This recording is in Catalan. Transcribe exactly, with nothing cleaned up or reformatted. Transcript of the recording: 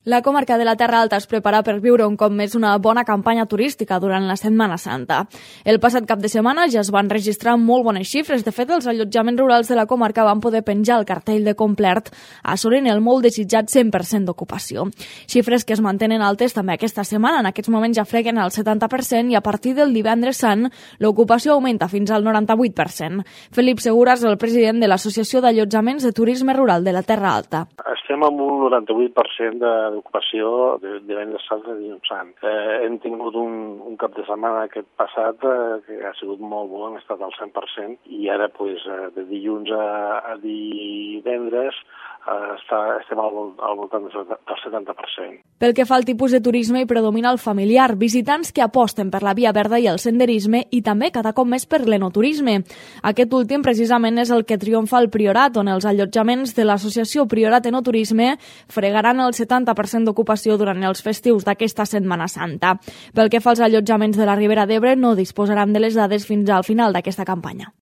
La comarca de la Terra Alta es prepara per viure un cop més una bona campanya turística durant la Setmana Santa. El passat cap de setmana ja es van registrar molt bones xifres. De fet, els allotjaments rurals de la comarca van poder penjar el cartell de complet, assolint el molt desitjat cent per cent d'ocupació. Xifres que es mantenen altes també aquesta setmana. En aquests moments ja freguen el setanta per cent i a partir del divendres sant l'ocupació augmenta fins al noranta-vuit per cent. Felip Segura és el president de l'Associació d'Allotjaments de Turisme Rural de la Terra Alta. Estem amb un noranta-vuit per cent d'ocupació de divendres sant i dilluns sant. Eh, hem tingut un, un cap de setmana aquest passat eh, que ha sigut molt bo, hem estat al cent per cent, i ara pues, eh, de dilluns a, a divendres eh, està, estem al, al voltant del setanta per cent. Pel que fa al tipus de turisme, hi predomina el familiar, visitants que aposten per la via verda i el senderisme i també cada cop més per l'enoturisme. Aquest últim precisament és el que triomfa al Priorat, on els allotjaments de l'associació Priorat Enoturisme fregaran el setanta per cent d'ocupació durant els festius d'aquesta Setmana Santa. Pel que fa als allotjaments de la Ribera d'Ebre, no disposaran de les dades fins al final d'aquesta campanya.